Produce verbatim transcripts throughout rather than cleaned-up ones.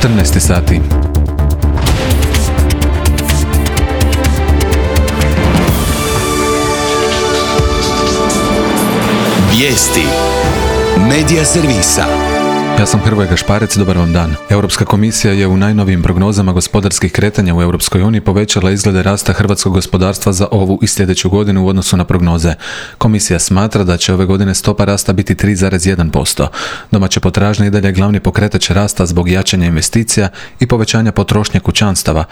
četrnaest sati. Vijesti Medija servisa. Ja sam Hrvoje Gašparec, dobar vam dan. Europska komisija je u najnovijim prognozama gospodarskih kretanja u Europskoj uniji povećala izglede rasta hrvatskog gospodarstva za ovu i sljedeću godinu u odnosu na prognoze. Komisija smatra da će ove godine stopa rasta biti tri zarez jedan posto. Domaća potražnja i dalje glavni pokretač rasta zbog jačanja investicija i povećanja potrošnje kućanstava.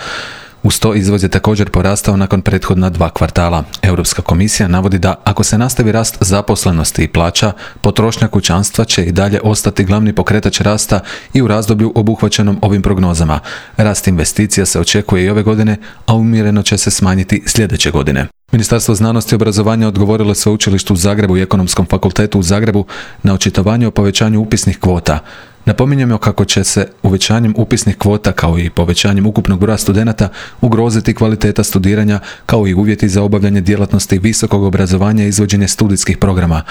Uz to izvoz je također porastao nakon prethodna dva kvartala. Europska komisija navodi da ako se nastavi rast zaposlenosti i plaća, potrošnja kućanstva će i dalje ostati glavni pokretač rasta i u razdoblju obuhvaćenom ovim prognozama. Rast investicija se očekuje i ove godine, a umjereno će se smanjiti sljedeće godine. Ministarstvo znanosti i obrazovanja odgovorilo je Sveučilištu u Zagrebu i Ekonomskom fakultetu u Zagrebu na očitovanje o povećanju upisnih kvota. Napominjemo kako će se uvećanjem upisnih kvota kao i povećanjem ukupnog broja studenata ugroziti kvaliteta studiranja kao i uvjeti za obavljanje djelatnosti visokog obrazovanja i izvođenje studijskih programa.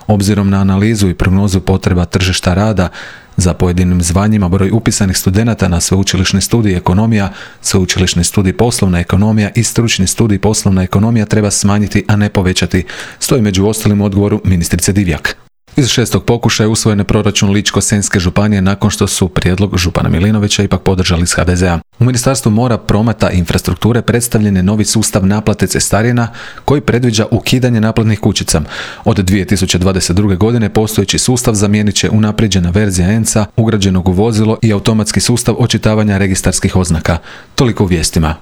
Obzirom na analizu i prognozu potreba tržišta rada, za pojedinim zvanjima broj upisanih studenata na sveučilišni studij ekonomija, sveučilišni studij poslovna ekonomija i stručni studij poslovna ekonomija treba smanjiti, a ne povećati, stoji među ostalim u odgovoru ministrice Divjak. Iz šestog pokušaja usvojen je proračun Ličko-senjske županije nakon što su prijedlog župana Milinovića ipak podržali iz ha de zea. U Ministarstvu mora, prometa i infrastrukture predstavljen je novi sustav naplate cestarina koji predviđa ukidanje naplatnih kućica. Od dvije tisuće dvadeset druge. godine postojeći sustav zamijenit će unaprijeđena verzija E N C A, ugrađenog u vozilo i automatski sustav očitavanja registarskih oznaka. Toliko u vijestima.